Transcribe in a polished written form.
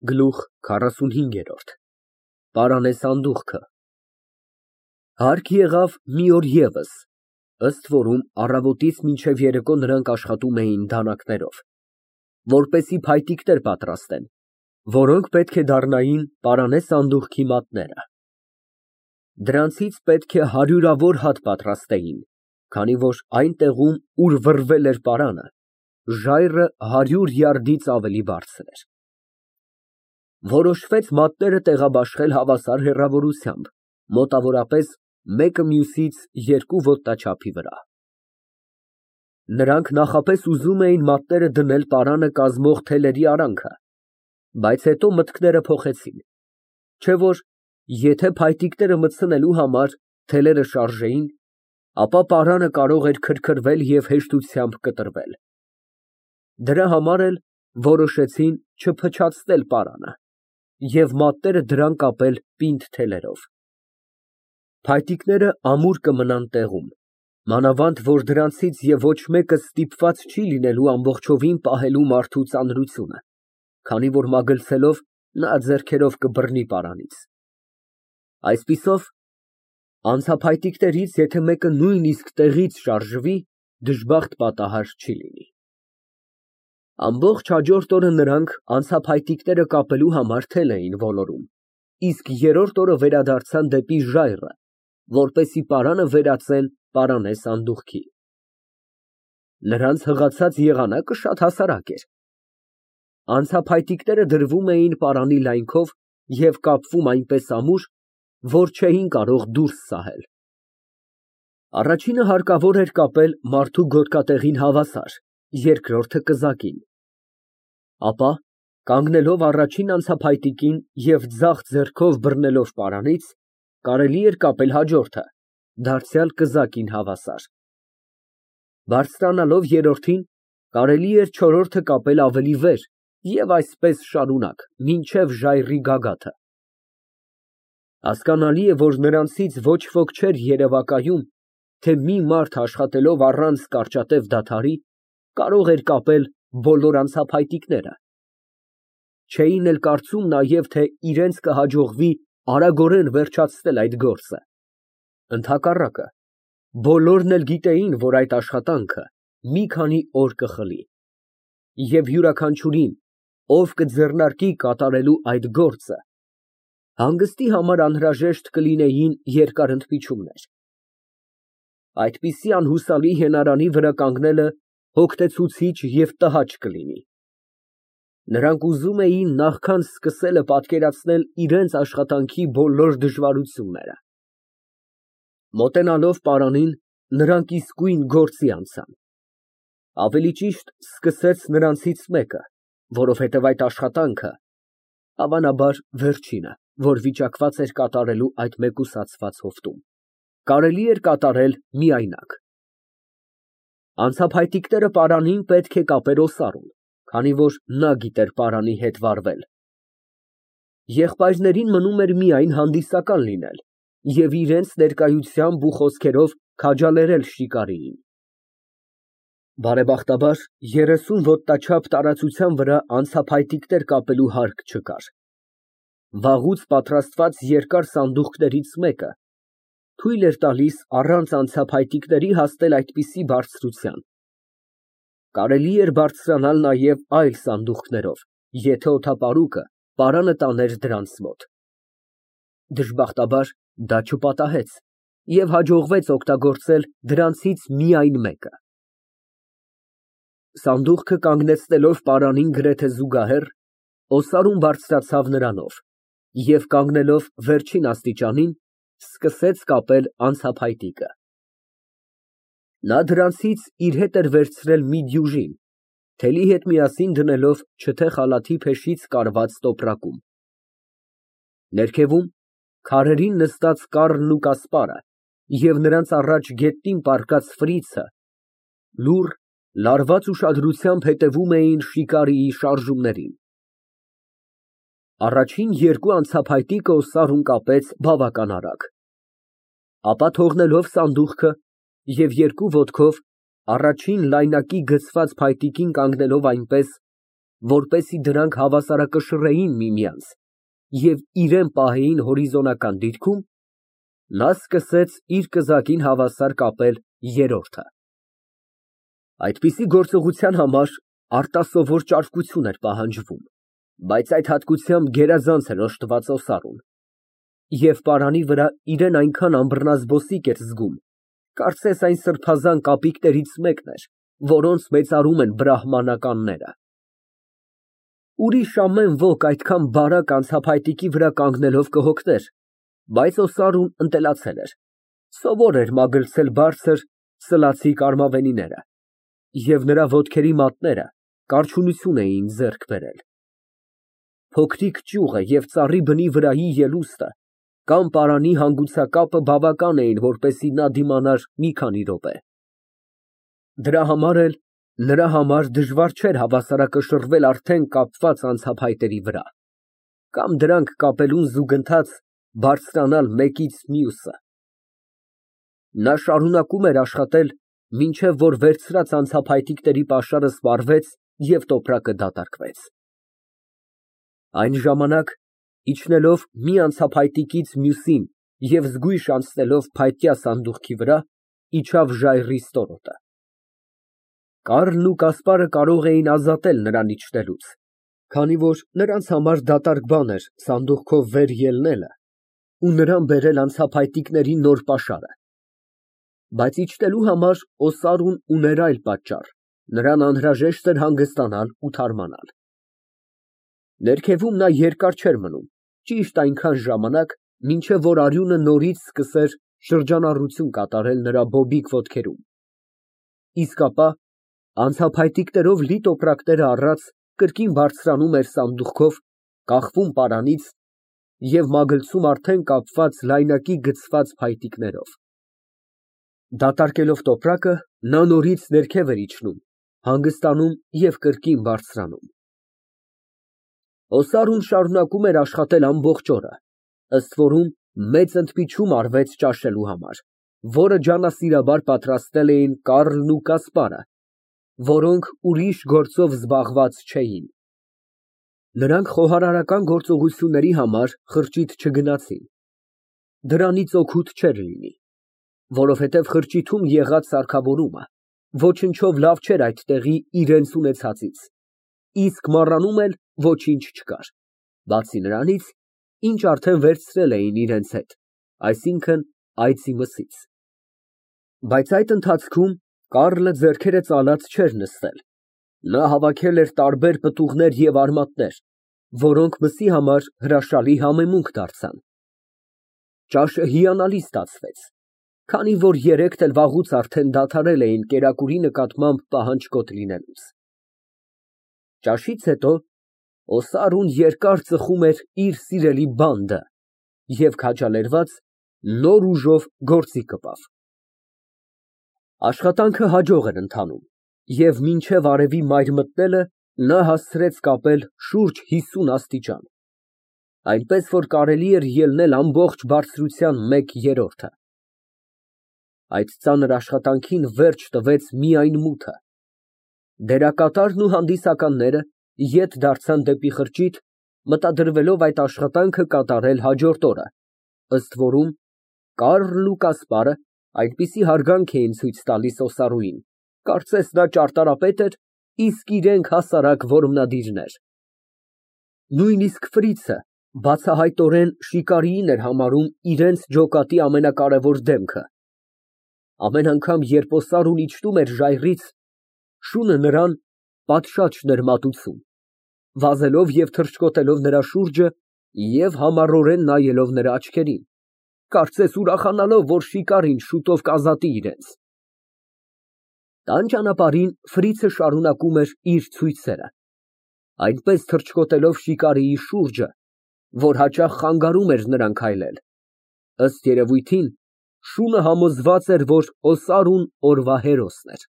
Գլուխ 45 Պարանե սանդուղքը Հարկ եղավ մի օր ևս, ըստ որում առավոտից մինչև երեկո նրանք աշխատում էին դանակներով, որպեսզի փայտիկներ պատրաստեն, որոնք պետք է դառնային պարանե սանդուղքի մատները։ Դրանցից պետք է հարյուրավոր հատ պատրաստեին, քանի որ այն տեղում, ուր վռվել էր պարանը, ժայռը 100 յարդից ավելի բարձր էր։ Որոշվեց մատները տեղաբաշխել հավասար հեռավորությամբ, մոտավորապես մեկը մյուսից 2 ոտնաչափի վրա։ Նրանք նախապես ուզում էին մատները դնել պարանը կազմող թելերի արանքը, բայց հետո մտքները փոխեցին, չէ որ եթե փայտիկները մտցնելու համար թելերը շարժեին, ապա պարանը կարող էր քրքրվել և հեշտությամբ կտրվել։ Դրա համար էլ որոշեցին չփչացնել պարանը և մատները դրան կապել պինդ թելերով։ Փայտիկները ամուր կմնան տեղում, մանավանդ որ դրանցից և ոչ մեկը ստիպված չի լինելու ամբողջովին պահելու մարդու ծանրությունը, քանի որ մագլցելով նա ձեռքերով կբռնի պարանից։ Այսպիսով, անցափայտիկներից եթե մեկը նույնիսկ տեղից շարժվի, դժբախտ պատահար չի լինի։ Ամբողջ հաջորդ օրը նրանք անցափայտիկները կապելու համար թել էին ոլորում, իսկ երրորդ օրը վերադարձան դեպի ժայռը, որպեսզի պարանը վերածեն պարանե սանդուղքի։ Նրանց հղացած եղանակը շատ հասարակ էր։ Անցափայտիկները դրվում էին պարանի լայնքով և կապվում այնպես ամուր, որ չէին կարող դուրս սահել։ Առաջինը հարկավոր էր կապել մարդու գոտկատեղին հավասար, երկրորդը կզակին, ապա կանգնելով առաջին անցափայտիկին և ձախ ձեռքով բռնելով պարանից, կարելի էր կապել հաջորդը, դարձյալ կզակին հավասար։ Բարձրանալով երրորդին, կարելի էր չորրորդը կապել ավելի վեր և այսպես շարունակ, մինչև ժայռի գագաթը։ Հասկանալի է, որ նրանցից ոչ ոք չէր երևակայում, թե մի մարդ աշխատելով առանց կարճատև դադարի, կարող էր կապել բոլոր անցափայտիկները։ Չէին էլ կարծում նաև, թե իրենց կհաջողվի արագորեն վերջացնել այդ գործը։ Ընդհակառակը, բոլորն էլ գիտեին, որ այդ աշխատանքը մի քանի օր կխլի, և յուրաքանչյուրին, ով կձեռնարկի կատարելու այդ գործը, հանգստի համար անհրաժեշտ կլինեին երկար ընդմիջումներ։ Այդպիսի անհուսալի հենարանի վրա կանգնելը հոգնեցուցիչ և տհաճ կլինի։ Նրանք ուզում էին նախքան սկսելը պատկերացնել իրենց աշխատանքի բոլոր դժվարությունները։ Մոտենալով պարանին, նրանք իսկույն գործի անցան։ Ավելի ճիշտ, սկսեց նրանցից մեկը, որովհետև այդ աշխատանքը, հավանաբար, վերջինը, որ վիճակված էր կատարելու այդ մեկուսացված հովտում, կարելի էր կատարել միայնակ։ Անցափայտիկները պարանին պետք է կապեր օսառում, քանի որ նա գիտեր պարանի հետ վարվել։ Եղբայրներին մնում էր միայն հանդիսական լինել և իրենց ներկայությամբ ու խոսքերով քաջալերել շիկարիին։ Բարեբախտաբար, 30 ոտնաչափ տարածության վրա անցափայտիկներ կապելու հարկ չկար։ Վաղուց պատրաստված երկար սանդուղքներից մեկը թույլ էր տալիս առանց անցափայտիկների հասնել այդպիսի բարձրության։ Կարելի էր բարձրանալ նաև այլ սանդուղքներով, եթե օդապարուկը պարանը տաներ դրանց մոտ։ Դժբախտաբար, դա չպատահեց և հաջողվեց օգտագործել դրանցից միայն մեկը։ Սանդուղքը կանգնեցնելով պարանին գրեթե զուգահեռ, օսարուն բարձրացավ նրանով և կանգնելով վերջին աստիճանին, սկսեց կապել անցափայտիկը։ Նա դրանցից իր հետ էր վերցրել մի դյուժին, թելի հետ միասին դնելով չթե խալաթի փեշից կարված տոպրակում։ Ներքևում, քարերին նստած կառլն ու կասպարը և նրանց առաջ գետնին պառկած ֆրիցը լուռ, լարված ուշադրությամբ հետևում էին շիկարիի շարժումներին։ Առաջին երկու անցափայտիկը օսարուն կապեց բավական արագ, ապա թողնելով սանդուղքը և երկու ոտքով առաջին լայնակի գցված փայտիկին կանգնելով այնպես, որպեսզի դրանք հավասարակշռեին միմյանց և իրան պահեին հորիզոնական դիրքում, նա սկսեց իր կզակին հավասար կապել երրորդը։ Այդպիսի գործողության համար արտասովոր ճարպկություն էր պահանջվում, բայց այդ հատկությամբ գերազանց էր օժտված Օսարուն, և պարանի վրա իրան այնքան անբռնազբոսիկ էր զգում, կարծես այն սրբազան կապիկներից մեկն էր, որոնց մեծարում են բրահմանականները։ Ուրիշ ամեն ոք այդքան բարակ անցափայտիկի վրա կանգնելով կհոգներ, բայց Օսարուն ընտելացել էր, սովոր էր մագլցել բարձր սլացիկ արմավենիները, և նրա ոտքերի մատները կարչունություն էին ձեռք բերել։ Փոքրիկ ճյուղը և ծառի բնի վրայի ելուստը կամ պարանի հանգուցակապը բավական էին, որպեսզի նա դիմանար մի քանի րոպե։ Դրա համար էլ նրա համար դժվար չէր հավասարակշռվել արդեն կապված անցափայտերի վրա, կամ դրանք կապելուն զուգընթաց բարձրանալ մեկից մյուսը։ Նա շարունակում էր աշխատել, մինչև որ վերցրած անցափայտիկների պաշարը սպառվեց և տոպրակը դատարկվեց։ Այն ժամանակ, իջնելով մի անցափայտիկից մյուսին և զգույշ անցնելով փայտյա սանդուղքի վրա, իջավ ժայռի ստորոտը։ Կառլն ու Կասպարը կարող էին ազատել նրան իջնելուց, քանի որ նրանց համար դատարկ բան էր սանդուղքով վեր ելնելը ու նրան բերել անցափայտիկների նոր պաշարը, բայց իջնելու համար Օսարուն ուներ այլ պատճառ, նրան անհրաժեշտ էր հանգստանալ ու թարմանալ։ Ներքևում նա երկար չէր մնում, ճիշտ այնքան ժամանակ, մինչև որ արյունը նորից սկսեր շրջանառություն կատարել նրա բոբիկ ոտքերում, իսկ ապա անցափայտիկներով լի տոպրակները առած կրկին բարձրանում էր սանդուղքով, կախվում պարանից և մագլցում արդեն կապված լայնակի գցված փայտիկներով։ Դատարկելով տոպրակը, նա նորից ներքև էր իջնում, հանգստանում և կրկին բարձրանում։ Օսարուն շարունակում էր աշխատել ամբողջ օրը, ըստ որում մեծ ընդմիջում արվեց ճաշելու համար, որը ջանասիրաբար պատրաստել էին Կառլն ու Կասպարը, որոնք ուրիշ գործով զբաղված չէին։ Նրանք խոհարարական գործողությունների համար խրճիթ չգնացին։ Դրանից օգուտ չէր լինի, որովհետև խրճիթում եղած սարքավորումը ոչնչով լավ չէր այդ տեղի իրենց ունեցածից, իսկ մառանում էլ ոչինչ չկար, բացի նրանից, ինչ արդեն վերցրել էին իրենց հետ, այսինքն այծի մսից։ Բայց այդ ընթացքում Կառլը ձեռքերը ծալած չէր նստել, նա հավաքել էր տարբեր պտուղներ և արմատներ, որոնք մսի համար հրաշալի համեմունք դարձան։ Ճաշը հիանալի ստացվեց, քանի որ երեքն էլ վաղուց արդեն դադարել էին կերակուրի նկատմամբ պահանջկոտ լինելուց։ Ճաշից հետո Օսարուն երկար ծխում էր իր սիրելի բանդը և քաջալերված նոր ուժով գործի կպավ։ Աշխատանքը հաջող էր ընթանում, և մինչև արևի մայր մտնելը նա հասցրեց կապել շուրջ 50 աստիճան, այնպես որ կարելի էր ելնել ամբողջ բարձրության մեկ երրորդը։ Այդ ծանր աշխատանքին վերջ տվեց միայն մութը։ Դերակատարն ու հանդիսականները ետ դարձան դեպի խրճիթ, մտադրվելով այդ աշխատանքը կատարել հաջորդ օրը, ըստ որում Կառլն ու Կասպարը այնպիսի հարգանք էին ցույց տալիս Օսարուին, կարծես նա ճարտարապետ էր, իսկ իրենք հասարակ որմնադիրներ։ Նույնիսկ Ֆրիցը բացահայտորեն շիկարիին էր համարում իրենց ջոկատի ամենակարևոր դեմքը։ Ամեն անգամ, երբ Օսարուն իջնում էր ժայռից, շունը նրան պատշաճ էր մատուցում, վազելով և թռչկոտելով նրա շուրջը և համառորեն նայելով նրա աչքերին, կարծես ուրախանալով, որ շիկարին շուտով կազատի իրենց։ Տան ճանապարհին Ֆրիցը շարունակում էր իր ցույցերը, այնպես թռչկոտելով շիկարիի շուրջը, որ հաճախ խանգարում էր նրան քայլել։ Ըստ երևույթին, շունը համոզված էր, որ Օսարուն օրվա հերոսն էր։